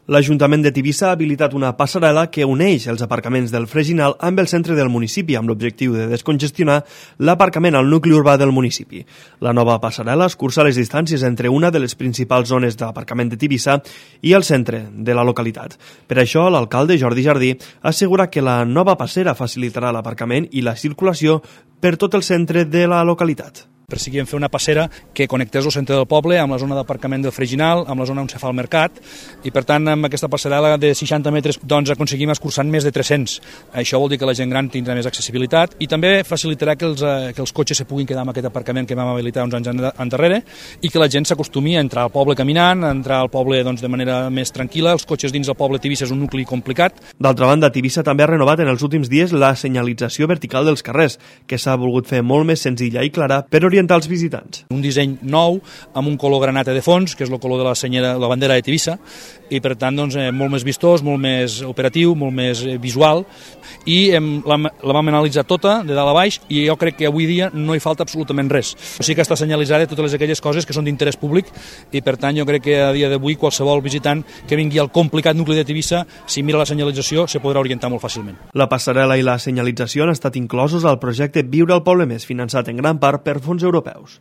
L'Ajuntament de Tivissa ha habilitat una passarel·la que uneix els aparcaments del Freginal amb el centre del municipi amb l'objectiu de descongestionar l'aparcament al nucli urbà del municipi. La nova passarel·la escurça les distàncies entre una de les principals zones d'aparcament de Tivissa i el centre de la localitat. Per això, l'alcalde Jordi Jardí assegura que la nova passera facilitarà l'aparcament i la circulació per tot el centre de la localitat. Perseguíem fer una passera que connectés el centre del poble amb la zona d'aparcament del Freginal, amb la zona on se fa el mercat, i per tant amb aquesta passarel·la de 60 metres doncs aconseguim escurçar més de 300. Això vol dir que la gent gran tindrà més accessibilitat i també facilitarà que els cotxes se puguin quedar en aquest aparcament que vam habilitar uns anys endarrere i que la gent s'acostumi a entrar al poble caminant, a entrar al poble doncs, de manera més tranquil·la. Els cotxes dins del poble Tivissa és un nucli complicat. D'altra banda, Tivissa també ha renovat en els últims dies la senyalització vertical dels carrers, que s'ha volgut fer molt més senzilla i clara per orientar els visitants. Un disseny nou amb un color granata de fons, que és el color de la bandera de Tivissa, i per tant doncs, molt més vistós, molt més operatiu, molt més visual, i la vam analitzar tota, de dalt a baix, i jo crec que avui dia no hi falta absolutament res. O sigui que està senyalitzada totes aquelles coses que són d'interès públic, i per tant jo crec que a dia d'avui qualsevol visitant que vingui al complicat nucli de Tivissa, si mira la senyalització, se podrà orientar molt fàcilment. La passarel·la i la senyalització han estat inclosos al projecte Viure al Poble Més, finançat en gran part per fons europeus.